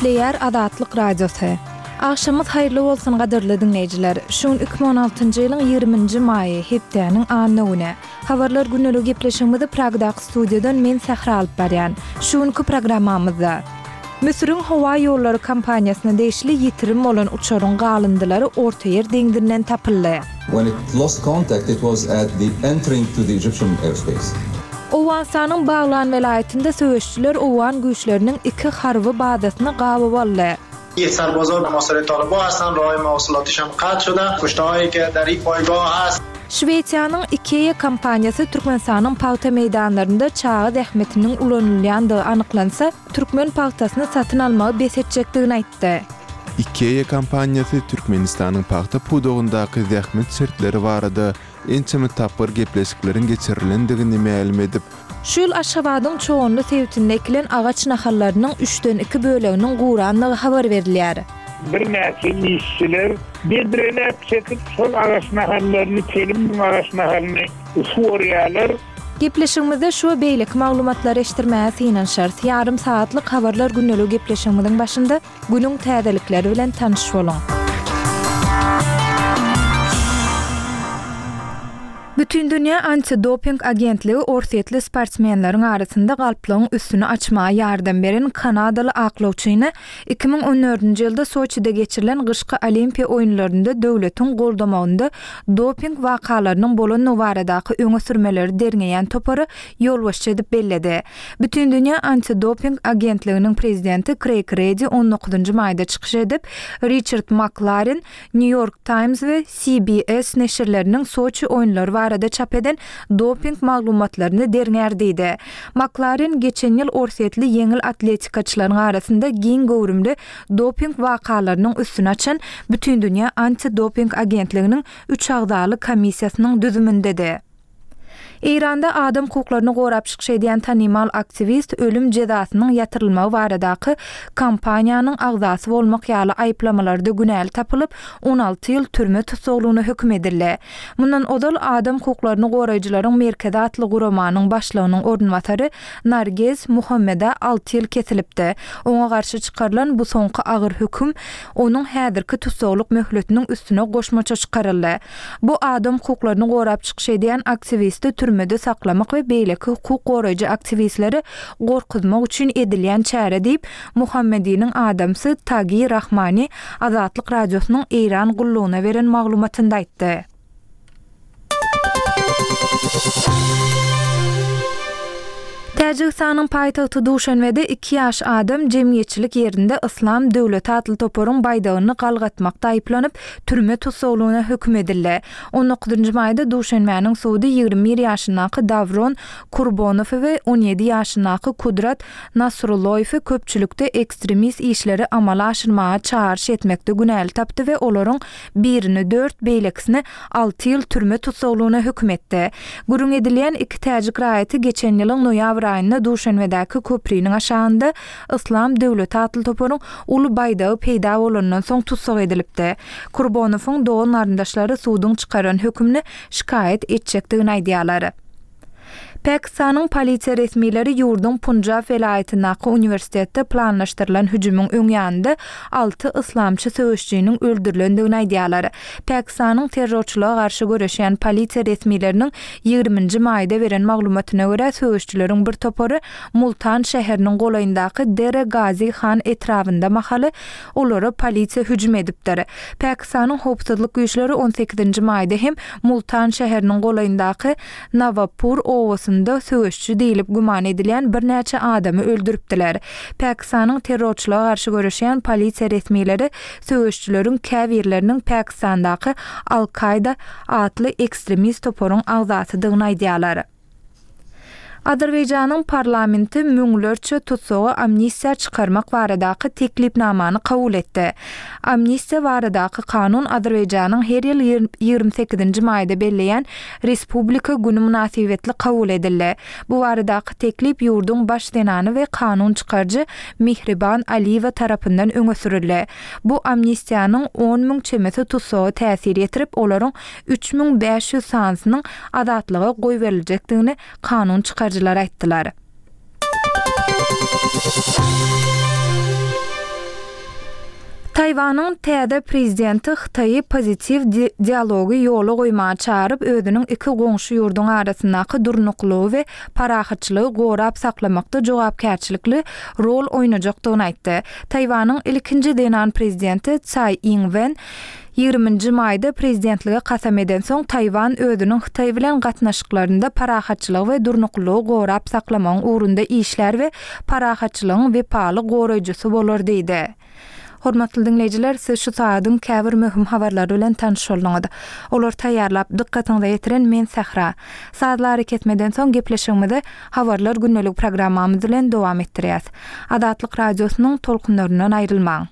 Gepleýär Azatlyk Radiosy. Agşamyňyz haýyrly bolsun gadyrly diňleýjiler. Şu gün 2016-njy ýylyň 20-nji maýy, hepdäniň anna güni. Habarlar gündelik gepleşigimizi Pragdaky studiýadan men Sähra alyp barýan. Şu günki programmamyzda. Müsüriň howa ýollary kompaniýasyna degişli ýitirim bolan uçaryň galyndylary Ortaýer deňzinden tapyldy. When it lost contact it was at the entering to the Egyptian airspace. Owganystanyň Baglan welaýatynda söweşijiler owgan güýçleriniň iki harby bazasyny gabaw aldy. Şwesiýanyň IKEA kompaniýasy Türkmenistanyň pagta meýdanlarynda çaga zähmetiniň ulanylýandygy anyklansa, türkmen pagtasyny satyn almagy bes etjekdigini aýtdy. IKEA kompaniýasy Türkmenistanyň pagta pudagyndaky zähmet şertleri barada ençeme tapgyr gepleşikleriň geçirilendigini mälim edip, Şu ýyl Aşgabadyň Çoganly sebitinde ekilen agaç nahallarynyň üçden iki böleginiň gurandygy habar berilýär. Birnäçe işçiler bedreläp çekip, şol agaç nahallaryny, telim müň agaç nahalyny suwarýarlar. Gepleşigimizde şu we beýleki maglumatlary eşitdirmäge synanyşarys. Ýarym sagatlyk Habarlar gündeligi gepleşigimiziň başynda Günüň täzelikleri bilen tanyş boluň! Bütindünýä antidoping agentligi orsýetli sportsmenleriň arasynda galplygyň üstüni açmaga ýardam beren kanadaly aklawçyny 2014-nji ýylda Soçide geçirilen gyşky Olimpiýa oýunlarynda döwletiň goldamagynda doping wakalarynyň bolandygy baradaky öňe sürmeleri derňeýän topara ýolbaşçy edip belledi. Bütindünýä antidoping agentliginiň prezidenti Kreýg Redi on dokuzynjy maýda çykyş edip, Riçard Maklaren, Nýu-Ýork Taýms we CBS neşirleriniň Soçi oýunlary barada çap eden doping maglumatlaryny derňär diýdi. Maklaren geçen ýyl orsýetli ýeňil atletikaçylaryň arasynda giň göwrümli doping wakalarynyň üstüni açan Bütindünýä antidoping agentliginiň üç agzaly komissiýasynyň düzümindedi. Eýranda adam hukuklaryny gorap çykyş edýän tanymal aktiwist ölüm jezasynyň ýatyrylmagy baradaky kampaniýanyň agzasy bolmak ýaly aýyplamalarda günäli tapylyp, 16 ýyl türme tussaglygyna höküm edildi. Mundan ozal Adam hukuklaryny goraýjylaryň merkezi atly guramanyň başlygynyň orunbasary Nargez Muhammeda alty ýyl kesilipdi. Oňa garşy çykarylan bu soňky agyr höküm onuň häzirki tussaglyk möhletiniň üstüne goşmaça çykaryldy. Bu adam hukuklaryny gorap çykyş edýän aktiwisti türmede saklamak we beýleki hukuk goraýjy aktiwistleri gorkuzmak üçin edilýän çäre diýip, Muhammediniň adamsy Tagi Rahmani Azatlyk Radiosynyň Eýran gullugyna beren maglumatynda aýtdy. Täjigistanyň paýtagty Duşanbede iki ýaş adam jemgyýetçilik ýerinde Yslam döwleti atly toparyň baýdagyny galgatmakda aýyplanyp, türme tussaglygyna höküm edildi. On dokuzynjy maýda Duşanbäniň sudy 21 ýaşyndaky Dawron Kurbonowy we 17 ýaşyndaky Kudrat Nasrulloýewi köpçülikde ekstremist işleri amala aşyrmaga çagyryş etmekde günäli tapdy we olaryň birini dört, beýlekisini alty ýyl türme tussaglygyna höküm etdi. Gürrüň edilýän iki täjik raýaty geçen ýylyň noýabr aýynda Duşenbedäki köpriniň aşagynda Yslam döwleti atly toparyň uly baýdagy peýda bolandan soň tussag edilipdi. Kurbonowyň dogan-garyndaşlary suduň çykaran hökümini şikaýat etjekdigini aýdýarlar. Pakistanyň polisiýa resmileri ýurduň Punjab welaýatyndaky uniwersitetde planlaşdyrylan hüjümiň öň ýanynda alty yslamçy söweşijiniň öldürilendigini aýdýarlar. Pakistanyň terrorçylyga garşy göreşýän polisiýa resmileriniň ýigriminji maýda beren maglumatyna görä, söweşijileriň bir topary Multan şäheriniň golaýyndaky Dera Gazi Han etrabynda mahaly olara polisiýa hüjüm edipdir. Pakistanyň howpsuzlyk güýçleri on sekizinji maýda hem Multan şäheriniň golaýyndaky Nawabpur obasynda söweşçi diýlip güman edilýän birnäçe adamy öldüripdiler. Pakistanyň terrorçylyga garşy göreşýän polisiýa resmileri söweşçileriň käbirleriniň Pakistandaky Al-Kaýda atly ekstremist toparyň agzasydygyny aýdýarlar. Azerbaýjanyň parlamenti müňlerçe tussagy amnistiýa çykarmak baradaky teklipnamany kabul etdi. Amnistiýa baradaky kanun Azerbaýjanyň her ýyl 28-nji maýda belleýän Respublika güni mynasybetli kabul edildi. Bu baradaky teklip ýurduň baş zenany we kanun çykaryjy Mihriban Aliýewa tarapyndan öňe sürüldi. Bu amnistiýanyň 10 müň çemesi tussaga täsir ýetirip, olaryň 3500 sanysynyň azatlyga goýberiljekdigini kanun çykaryjylar aýtdylar. Taýwanyň täze prezidenti Hytaýy pozitiw dialogy ýola goýmaga çagyryp, özüniň iki goňşy ýurduň arasyndaky durnuklylygy we parahatçylygy gorap saklamakda jogapkärçilikli rol oýnajakdygyny aýtdy. Taýwanyň ilkinji zenan prezidenti Tsai Ing-wen Ýigriminji maýda prezidentlige kasam edensoň, Taýwan özüniň Hytaý bilen gatnaşyklarynda parahatçylygy we durnuklylygy gorap saklamagyň ugrunda işlär we parahatçylygyň wepaly goraýjysy bolar diýdi. Hormatly diňleýjiler, siz şu sagadyň käbir möhüm habarlary bilen tanyş bolduňyz. Olary taýýarlap, dykgatyňyza ýetiren men Sähra. Sazly arakesmeden soň gepleşigimizi Habarlar gündeligi programmamyz bilen dowam etdirýäs. Azatlyk Radiosynyň tolkunlaryndan aýrylmaň!